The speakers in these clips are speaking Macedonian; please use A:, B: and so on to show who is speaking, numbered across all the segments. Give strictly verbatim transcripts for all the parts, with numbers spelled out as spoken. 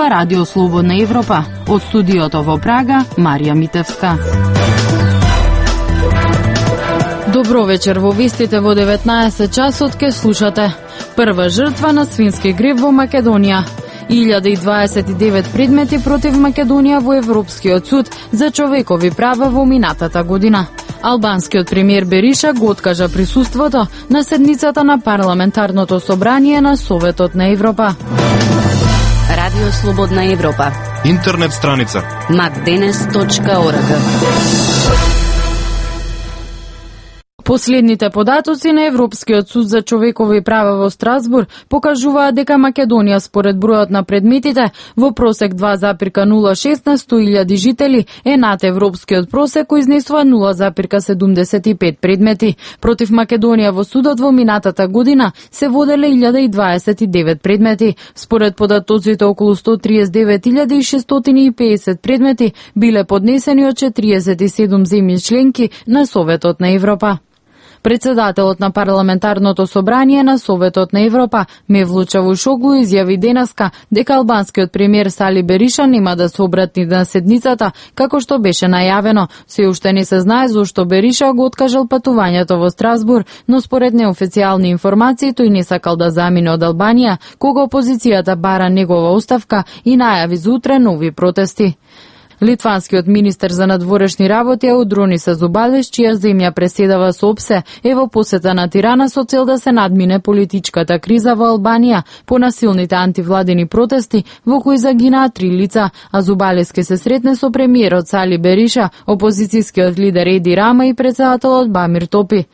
A: зборува Радио Слободна Европа. Од студиото во Прага, Марија Митевска. Добро вечер, во вестите во деветнаесет часот ке слушате. Прва жртва на свински грип во Македонија. илјада и дваесет и девет предмети против Македонија во Европскиот суд за човекови права во минатата година. Албанскиот премиер Бериша го откажа присуството на седницата на парламентарното собрание на Советот на Европа.
B: Радио Слободна Европа.
C: Интернет страница
B: макденес точка орг.
A: Последните податоци на Европскиот суд за човекови права во Страсбург покажуваат дека Македонија според бројот на предметите во просек два запирка нула шест на сто илјади жители е над европскиот просек кој изнесува нула запирка седумдесет и пет предмети. Против Македонија во судот во минатата година се воделе илјада и дваесет и девет предмети. Според податоците околу сто триесет и девет илјади и шестстотини и педесет предмети биле поднесени од четириесет и седум земји членки на Советот на Европа. Председателот на парламентарното собрание на Советот на Европа, Мевлут Чавушоглу, изјави денеска дека албанскиот премиер Сали Бериша нема да се обрати на седницата, како што беше најавено. Се уште не се знае зошто Бериша го откажал патувањето во Страсбург, но според неофицијални информации тој не сакал да замине од Албанија, кога опозицијата бара негова оставка и најави за утре нови протести. Литванскиот министер за надворешни работи Аудронис Азубалеш, чија земја преседава со ОПСЕ, е во посета на Тирана со цел да се надмине политичката криза во Албанија по насилните антивладени протести во кои загинаа три лица. Азубалеш ке се сретне со премиерот Сали Бериша, опозицијскиот лидер Еди Рама и председателот Бамир Топи.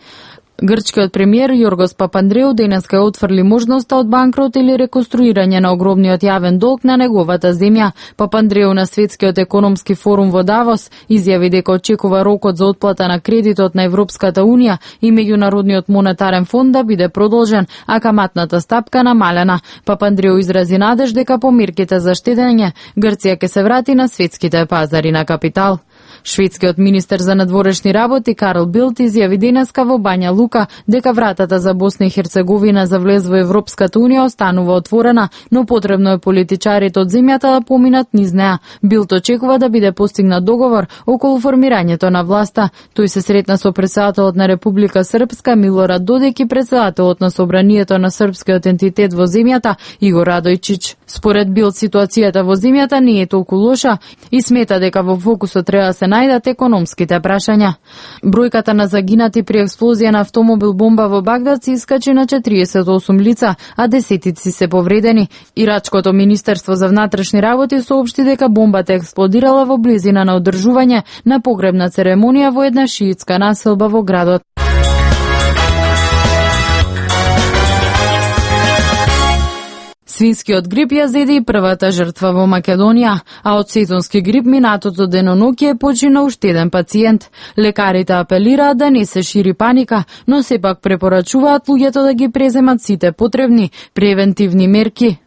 A: Грчкиот премиер Јоргос Папандреу денеска отфрли можноста од банкрот или реконструирање на огромниот јавен долг на неговата земја. Папандреу на Светскиот економски форум во Давос изјави дека очекува рокот за отплата на кредитот на Европската Унија и Меѓународниот монетарен фонд да биде продолжен, а каматната стапка намалена. Папандреу изрази надеж дека по мерките за штедење Грција ќе се врати на светските пазари на капитал. Шведскиот министер за надворешни работи Карл Билт изјави денеска во Бања Лука дека вратата за Босна и Херцеговина за влез во Европската Унија останува отворена, но потребно е политичарите од земјата да поминат низ неа. Билт очекува да биде постигнат договор околу формирањето на власта. Тој се сретна со председателот на Република Српска Милорад Додик и председателот на собранието на српскиот ентитет во земјата Игор Радојчиќ. Според Билт ситуацијата во земјата не е толку лоша и смета дека во фокусот треба да се најдат економските прашања. Бројката на загинати при експлозија на автомобил бомба во Багдад се искачи на четириесет и осум лица, а десетици се повредени. Ирачкото министерство за внатрешни работи соопшти дека бомбата експлодирала во близина на одржување на погребна церемонија во една шиитска населба во градот. Свинскиот грип ја зеде и првата жртва во Македонија, а од сезонски грип минатото деноноќе почина уште еден пациент. Лекарите апелираат да не се шири паника, но сепак препорачуваат луѓето да ги преземат сите потребни превентивни мерки.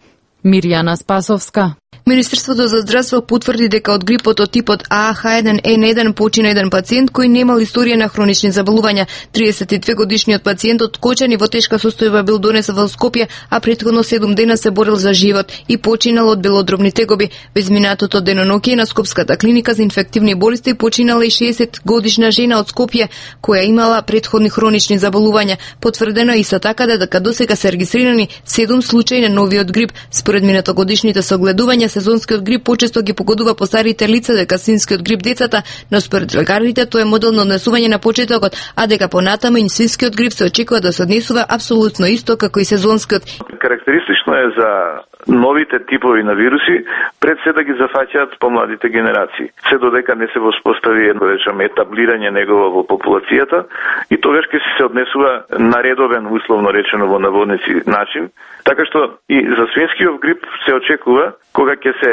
A: Мирјана Спасовска.
D: Министерството за здравство потврди дека од грипот од типот А H еден N еден почина еден пациент кој немал историја на хронични заболувања. триесет и две годишниот пациент од Кочан и во тешка состојба бил донесен во Скопје, а претходно седум дена се борил за живот и починал од белодробни тегоби. Во изминатото деноноќе на Скопската клиника за инфективни болести починала и шеесет годишна жена од Скопје која имала претходни хронични заболувања. Потврдено е исто така дека досега се регистрирани седум случаи на новиот грип. Според минатогодишните согледувања, сезонскиот грип почесто ги погодува постарите лица, дека свинскиот грип децата, но според лекарите тоа е модел на однесување на почетокот, а дека понатаму и свинскиот грип се очекува да се однесува апсолутно исто како и сезонскиот.
E: Карактеристично е за новите типови на вируси пред се да ги зафаќаат помладите генерации. Се додека не се воспостави едно речеме етаблирање негово во популацијата и тогаш ќе се однесува на редовен, условно речено во наводници начин, така што и за свинскиот грип се очекува кога ќе се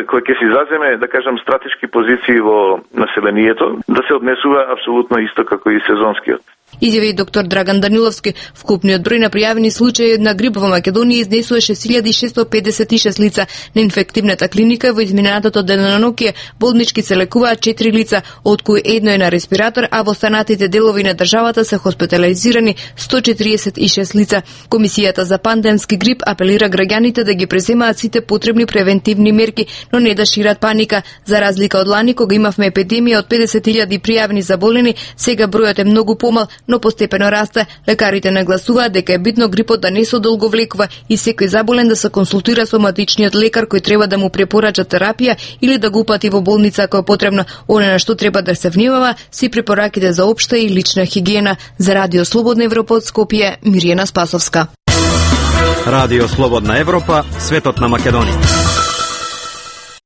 E: кога ќе се заземе, да кажам, стратешки позиции во населението, да се однесува апсолутно исто како и сезонскиот.
D: Изјави доктор Драган Даниловски. Вкупниот број на пријавени случаи на грип во Македонија изнесува шест илјади шестоста педесет и шест лица. На инфективната клиника во изминатото денонокие болнички се лекуваат четири лица, од кои едно е на респиратор, а во останатите делови на државата се хоспитализирани сто четиридесет и шест лица. Комисијата за пандемски грип апелира граѓаните да ги преземаат сите потребни превентивни мерки, но не да шират паника. За разлика од лани кога имавме епидемија од педесет илјади пријавени заболени, сега бројот е многу помал, но постепено расте. Лекарите нагласуваат дека е битно грипот да не се одолговлекува и секој заболен да се консултира со матичниот лекар кој треба да му препорача терапија или да го упати во болница ако е потребно. Оно на што треба да се внимава си препораките за општа и лична хигиена. За Радио Слободна Европа од Скопје, Мирјана Спасовска.
C: Радио Слободна Европа, светот на Македонија.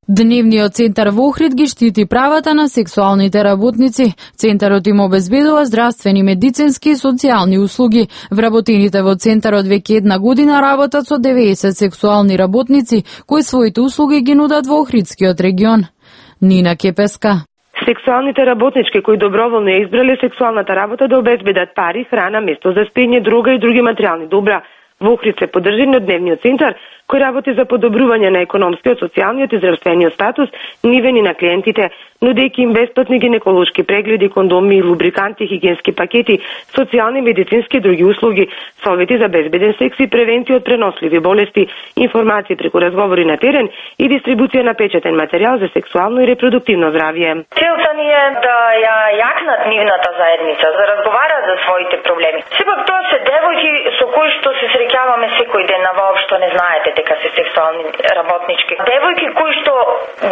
A: Дневниот центар во Охрид ги штити правата на сексуалните работници. Центарот им обезбедува здравствени, медицински и социјални услуги. Вработените во центарот веќе една година работат со деветдесет сексуални работници, кои своите услуги ги нудат во Охридскиот регион. Нина Кепеска.
F: Сексуалните работнички кои доброволно ја избрале сексуалната работа да обезбедат пари, храна, место за спење, друга и други материјални добра. Во Охрид се поддржи од дневниот центар кој работи за подобрување на економскиот, социјалниот и здравствениот статус нивен и на клиентите, нудејќи им бесплатни гинеколошки прегледи, кондоми, лубриканти, хигиенски пакети, социјални, медицински и други услуги, совети за безбеден секс и превенција од преносливи болести, информации преку разговори на терен и дистрибуција на печатен материјал за сексуално и репродуктивно здравје.
G: Целта ни е да ја јакнат нивната заедница, да разговарат за своите проблеми. Сепак тоа се девојки со кои што се среќаваме секој ден, а воопшто не знаете дека се сексуални работнички. Девојки кои што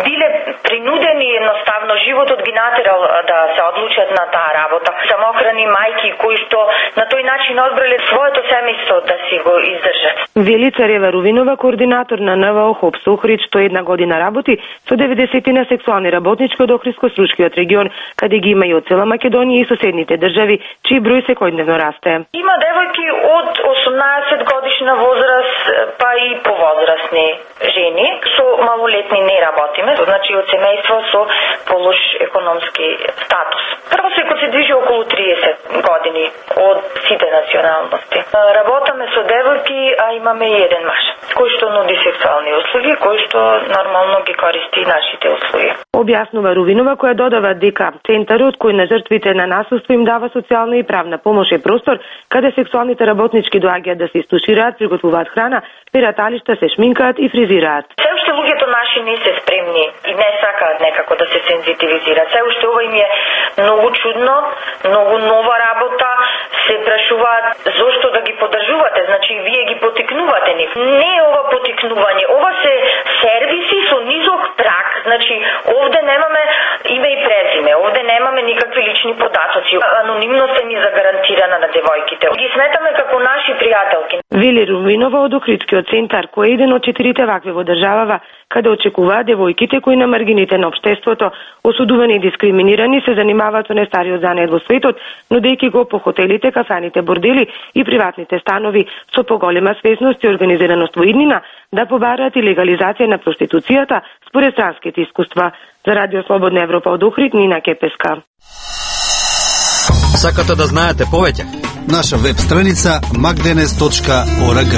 G: биле принудени едноставно животот ги натерал да се одлучат на таа работа. Самохрани мајки кои што на тој начин одбрале своето семејство да си го издржат.
F: Вели Царева Рувинова, координатор на ен вэ о ХОПС Охрид, што една година работи со деветдесет на сексуални работнички од Охридско-Стручкиот регион, каде ги има и од цела Македонија и соседните држави, чиј број секојдневно расте.
G: Има девојки од осумнаесет годишна возраст па и повозрастни жени, со малолетни не работиме, значи од семејство со полош економски статус. Просекот се движи околу триесет години од сите националности. Работаме со девојки, а имаме и еден маж, кој што нуди сексуални услуги, кој што нормално ги користи нашите услуги.
F: Објаснува Рувинова, која додава дека центарот кој на жртвите на насилство им дава социјална и правна помош е простор каде сексуалните работнички доаѓаат да се истушираат, приготвуваат храна, перат алишта, се шминкаат и фризираат.
G: Се уште луѓето наши не се спремни и не сакаат некако да се сензитивизираат. Се уште ова им е многу чудно, многу нова работа, се прашуваат зошто да ги поддржувате, значи вие ги потикнувате нив. Не е ова потикнување, ова се сервиси со низок праг, значи овде немаме име и презиме, овде немаме никакви лични податоци. Анонимноста ни загарантирана на девојките. Ги сметаме како наши пријателки.
F: Вели Рувинова од Охридскиот центар, кој е еден од четирите вакви во државава, каде очекуваат девојките кои на маргините на општеството, осудувани и дискриминирани, се занимаваат со нестариот занет во светот, нудејќи го по хотелите, кафаните, бордели и приватните станови, со поголема свесност и организираност во иднина, да побараат и легализација на проституцијата според странските искуства. За Радио Слободна Европа од Охрид, Нина Кепеска.
C: Сакате да знаете повеќе?
H: Наша веб страница макденес точка орг.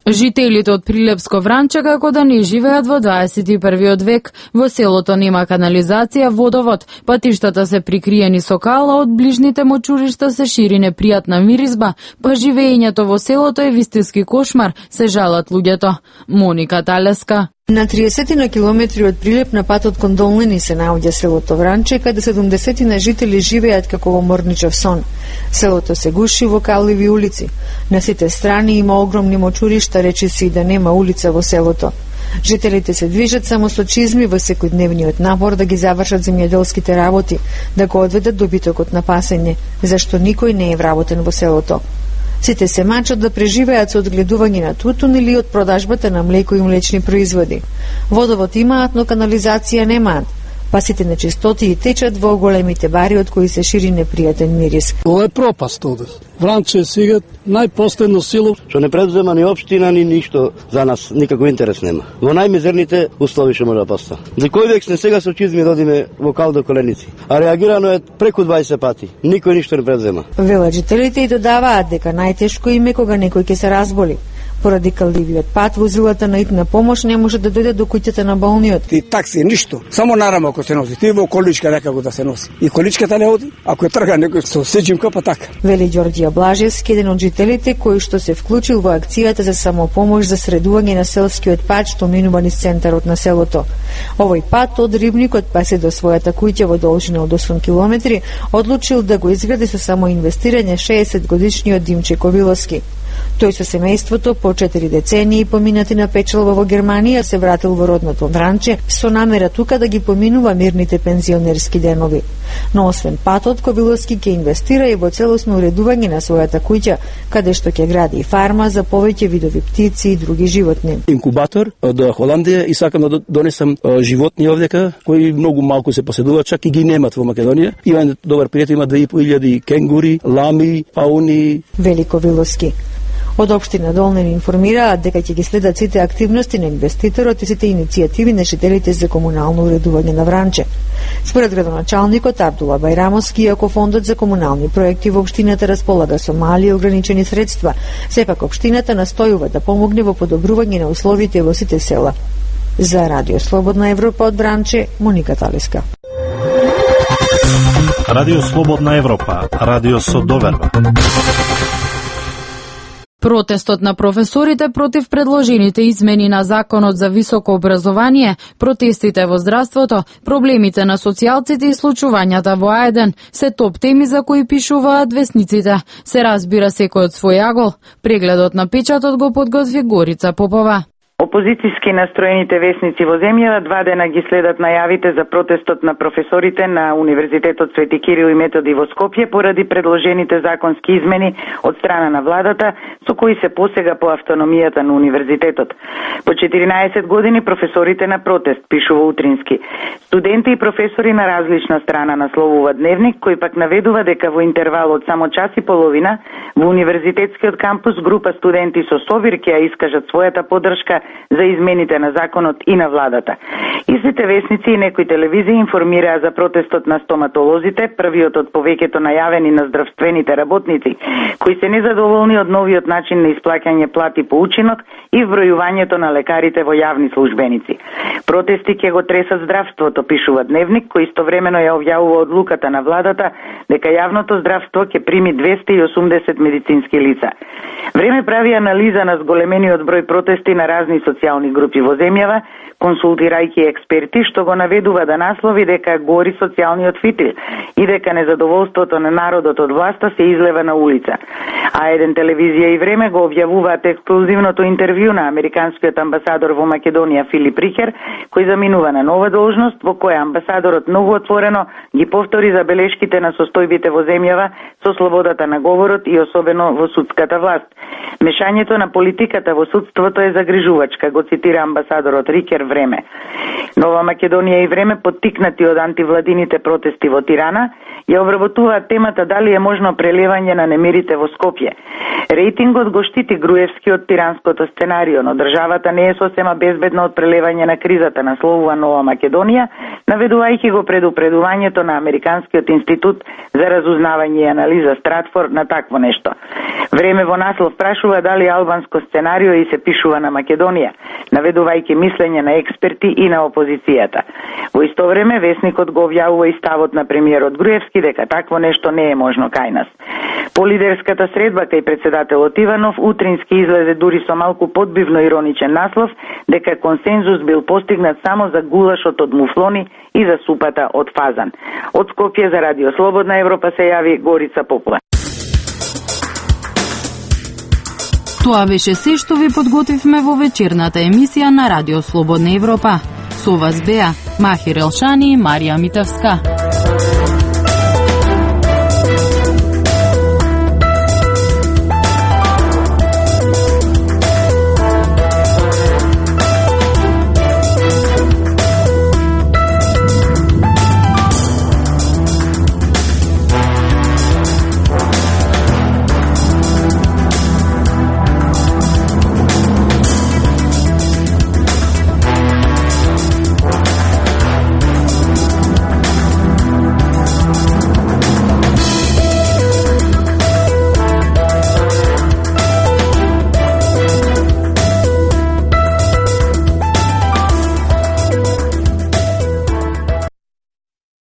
A: Жителите од Прилепско Вранче како да не живеат во дваесет и првиот век. Во селото нема канализација, водовод, патиштата се прикриени со кала, од ближните мочуришта се шири непријатна миризба, па живеењето во селото е вистински кошмар, се жалат луѓето. Моника Талеска.
I: На триесет на километри од Прилеп на патот кон Долнини се наоѓа селото Вранче, каде седумдесет на жители живеат како во морничев сон. Селото се гуши во калливи улици. На сите страни има огромни мочуришта, речиси и да нема улица во селото. Жителите се движат само со чизми во секојдневниот напор да ги завршат земјоделските работи, да го одведат добитокот на пасење, зашто никој не е вработен во селото. Сите се мачат да преживеат со одгледување на тутун или од продажбата на млеко и млечни производи. Водовод имаат, но канализација немаат. па сите нечистотии течат во големите бари од кои се шири непријатен мирис.
J: Ова е пропаст овде. Вранче е сега најпоследно село
K: што не предзема ни општина ни ништо за нас, никако интерес нема. Во најмизерните услови што може да постане. За кој век сме сега со чизми додиме во кал до коленици, а реагирано е преку дваесет пати. Никој ништо не предзема.
I: Велат жителите и додаваат дека најтешко им е кога некој ќе се разболи. Поради калдивиот пат, возилата на итна помош не може да дојдат до куќата на болниот.
L: Ти такси ништо, само нарама ако се носи. Ти во количка некако да се носи. И количката не оди, ако е трга некој со сечимка па така.
I: Вели Ѓорѓија Блажевски, еден од жителите кој што се вклучил во акцијата за самопомош за средување на селскиот пат што минува низ центарот на селото. Овој пат од Рибникот па се до својата куќа во должина од осум километри одлучил да го изгради со само инвестирање шеесет годишниот Димче Ковиловски. Тој со семејството по четири децении поминати на печалба во Германија се вратил во родното Вранче со намера тука да ги поминува мирните пензионерски денови. Но освен патот, Ковиловски ќе инвестира и во целосно уредување на својата куќа, каде што ќе гради фарма за повеќе видови птици и други животни.
M: Инкубатор од Холандија и сакам да донесам животни овдека кои многу малку се поседуваат, чак и ги немат во Македонија. Има добар пријател, има две и по илјади кенгури, лами, пауни.
I: Вели Ковиловски. Од општина Долнин информираат дека ќе ги следат сите активности на инвеститорот и сите иницијативи на жителите за комунално уредување на Вранче. Според градоначалникот Абдула Байрамовски, иако фондот за комунални проекти во општината располага со мали и ограничени средства, сепак општината настојува да помогне во подобрување на условите во сите села. За Радио Слободна Европа од Вранче, Моника Талиска.
N: Радио Слободна Европа, радио со доверба.
A: Протестот на професорите против предложените измени на Законот за високо образование, протестите во здравството, проблемите на социјалците и случувањата во А еден се топ теми за кои пишуваат весниците. Се разбира секој од свој агол. Прегледот на печатот го подготви Горица Попова.
O: Опозицијски настроените весници во земјава два дена ги следат најавите за протестот на професорите на Универзитетот Свети Кирил и Методи во Скопје поради предложените законски измени од страна на владата со кои се посега по автономијата на универзитетот. По четиринаесет години професорите на протест, пишува Утрински. Студенти и професори на различна страна насловува Дневник, кој пак наведува дека во интервал од само час и половина во универзитетскиот кампус група студенти со совир ќе ја искажат својата поддршка за измените на законот и на владата. Истите весници и некои телевизии информираа за протестот на стоматолозите, првиот од повеќето најавени на здравствените работници, кои се незадоволни од новиот начин на исплаќање плати по учинок и вбројувањето на лекарите во јавни службеници. Протести ќе го тресат здравството, пишува Дневник, кој истовремено ја објавува одлуката на владата дека јавното здравство ќе прими двесте и осумдесет медицински лица. Време прави анализа на зголемениот број протести на разни социјални групи во земјава, консултирајќи експерти што го наведува да наслови дека гори социјалниот фитил и дека незадоволството на народот од власта се излева на улица. А еден телевизија и Време го објавуваат ексклузивното интервју на американскиот амбасадор во Македонија Филип Рихер, кој заминува на нова должност, во која амбасадорот многу отворено ги повтори забелешките на состојбите во земјава со слободата на говорот и особено во судската власт. Мешањето на политиката во судството е загрижувачка, го цитира амбасадорот Рикер Време. Нова Македонија и Време, поттикнати од антивладините протести во Тирана, ја обработуваат темата дали е можно прелевање на немирите во Скопје. Рейтингот го штити Груевски од тиранското сценарио, но државата не е сосема безбедна од прелевање на кризата, насловува Нова Македонија, наведувајќи го предупредувањето на Американскиот институт за разузнавање и анализа Стратфор на такво нешто. Време во наслов прашува дали албанско сценарио и се пишува на Македонија, наведувајќи мислење на експерти и на опозицијата. Во исто време весникот го објавува и ставот на премиерот Груевски дека такво нешто не е можно кај нас. По лидерската средба кај председателот Иванов, Утрински излезе дури со малку подбивно ироничен наслов дека консензус бил постигнат само за гулашот од муфлони и за супата од фазан. Од Скопје за Радио Слободна Европа се јави Горица Попова.
A: Тоа беше се што ви подготвивме во вечерната емисија на Радио Слободна Европа. Со вас беа Махир Елшани и Марија Митевска.